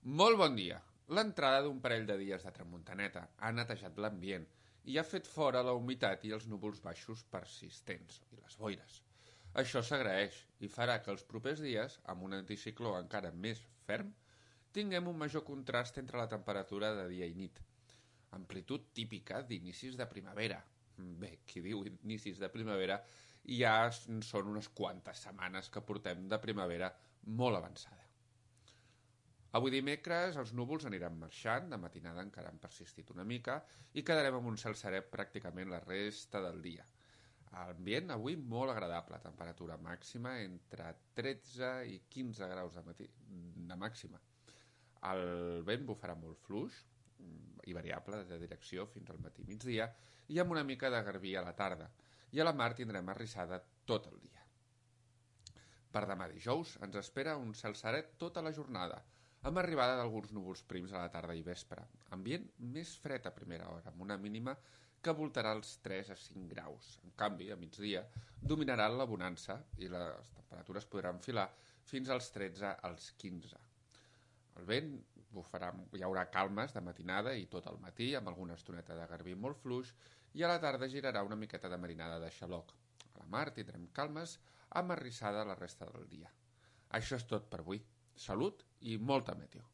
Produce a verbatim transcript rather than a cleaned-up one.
Molt bon dia. L'entrada d'un parell de dies de tramuntaneta ha netejat l'ambient i ha fet fora la humitat i els núvols baixos persistents i les boires. Això s'agraeix i farà que els propers dies, amb un anticicló encara més ferm, tinguem un major contrast entre la temperatura de dia i nit. Amplitud típica d'inicis de primavera. Bé, qui diu inicis de primavera ja són unes quantes setmanes que portem de primavera molt avançada. Avui dimecres els núvols aniran marxant, de matinada encara han persistit una mica i quedarem amb un cel serè pràcticament la resta del dia. Ambient avui molt agradable, temperatura màxima entre tretze i quinze graus de, matí, de màxima. El vent bufarà molt fluix i variable de direcció fins al matí migdia i amb una mica de garbí a la tarda. I a la mar tindrem arrissada tot el dia. Per demà dijous ens espera un cel serè tota la jornada, amb arribada d'alguns núvols prims a la tarda i vespre. Ambient més fred a primera hora, amb una mínima que voltarà els tres a cinc graus. En canvi, a migdia, dominarà la bonança i les temperatures podran filar fins als tretze als quinze. El vent bufarà, hi haurà calmes de matinada i tot el matí, amb alguna estoneta de garbí molt fluix, i a la tarda girarà una miqueta de marinada de xaloc. A la mar tindrem calmes amb arrissada la resta del dia. Això és tot per avui. Salut i molta meteo.